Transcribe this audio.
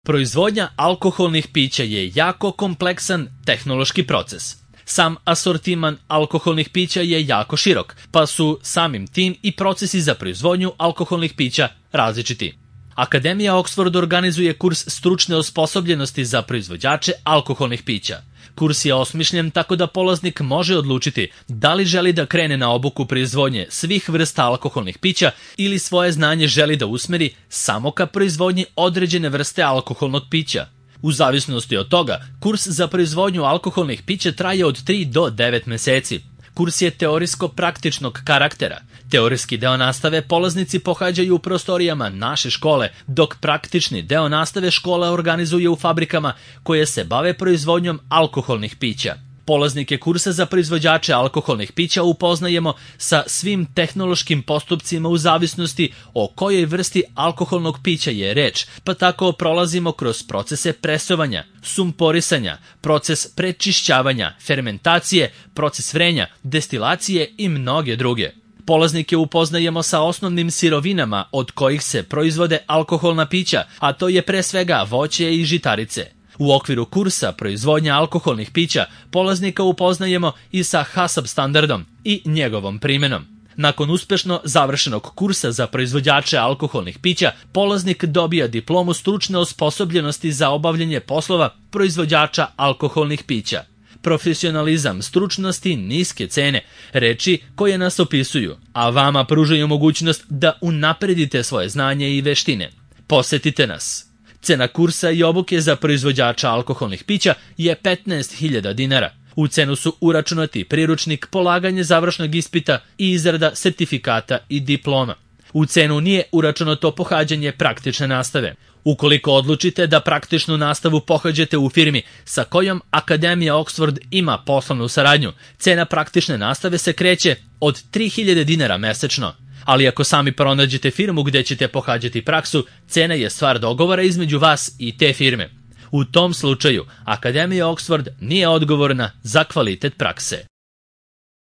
Proizvodnja alkoholnih pića je jako kompleksan tehnološki proces. Sam asortiman alkoholnih pića je jako širok, pa su samim tim i procesi za proizvodnju alkoholnih pića različiti. Akademija Oxford organizuje kurs stručne osposobljenosti za proizvođače alkoholnih pića. Kurs je osmišljen tako da polaznik može odlučiti da li želi da krene na obuku proizvodnje svih vrsta alkoholnih pića ili svoje znanje želi da usmeri samo ka proizvodnji određene vrste alkoholnog pića. U zavisnosti od toga, kurs za proizvodnju alkoholnih pića traje od 3 do 9 meseci. Kurs je teorijsko-praktičnog karaktera. Teorijski deo nastave polaznici pohađaju u prostorijama naše škole, dok praktični deo nastave škola organizuje u fabrikama koje se bave proizvodnjom alkoholnih pića. Polaznike kursa za proizvođače alkoholnih pića upoznajemo sa svim tehnološkim postupcima u zavisnosti o kojoj vrsti alkoholnog pića je reč, pa tako prolazimo kroz procese presovanja, sumporisanja, proces prečišćavanja, fermentacije, proces vrenja, destilacije i mnoge druge. Polaznike upoznajemo sa osnovnim sirovinama od kojih se proizvode alkoholna pića, a to je pre svega voće i žitarice. U okviru kursa proizvodnja alkoholnih pića polaznika upoznajemo i sa HACCP standardom i njegovom primenom. Nakon uspešno završenog kursa za proizvođače alkoholnih pića, polaznik dobija diplomu stručne osposobljenosti za obavljanje poslova proizvođača alkoholnih pića. Profesionalizam, stručnost i niske cene, reči koje nas opisuju, a vama pružaju mogućnost da unapredite svoje znanje i veštine. Posetite nas. Cena kursa i obuke za proizvođača alkoholnih pića je 15.000 dinara. U cenu su uračunati priručnik, polaganje završnog ispita i izrada sertifikata i diploma. U cenu nije uračunato pohađanje praktične nastave. Ukoliko odlučite da praktičnu nastavu pohađate u firmi sa kojom Akademija Oxford ima poslovnu saradnju, cena praktične nastave se kreće od 3.000 dinara mesečno. Ali ako sami pronađete firmu gde ćete pohađati praksu, cena je stvar dogovora između vas i te firme. U tom slučaju, Akademija Oxford nije odgovorna za kvalitet prakse.